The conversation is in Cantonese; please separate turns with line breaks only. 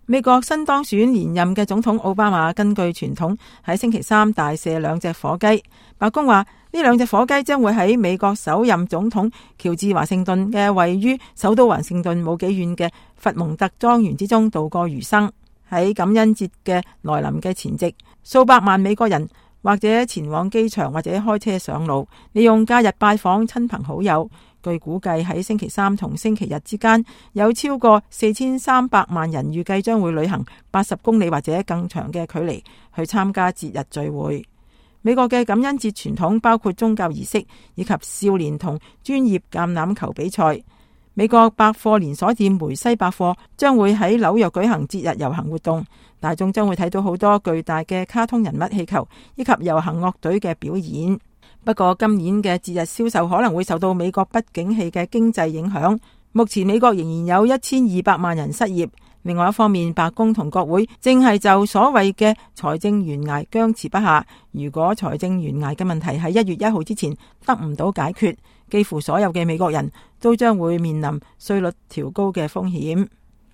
美國新當選連任嘅總統奧巴馬根據傳統喺星期三大射2隻火雞。白宮話呢2隻火雞將會喺美國首任總統喬治華盛頓嘅位於首都華盛頓冇幾遠嘅佛蒙特莊園之中度過餘生。喺感恩節嘅來臨嘅前夕，數百萬美國人或者前往機場或者開車上路，利用假日拜訪親朋好友。據估計喺星期三同星期日之間，有超過4300萬人預計將會旅行80公里或者更長嘅距離去參加節日聚會。美國嘅感恩節傳統包括宗教儀式以及少年同專業橄欖球比賽。美國百貨連鎖店梅西百貨將會喺紐約舉行節日遊行活動，大眾將會睇到好多巨大嘅卡通人物氣球以及遊行樂隊嘅表演。不過今年嘅節日銷售可能會受到美國不景氣嘅經濟影響。目前美國仍然有1200萬人失業。另外一方面，白宮同國會正係就所謂嘅財政懸崖僵持不下。如果財政懸崖嘅問題喺1月1號之前得唔到解決，幾乎所有嘅美國人都將會面臨稅率調高嘅風險。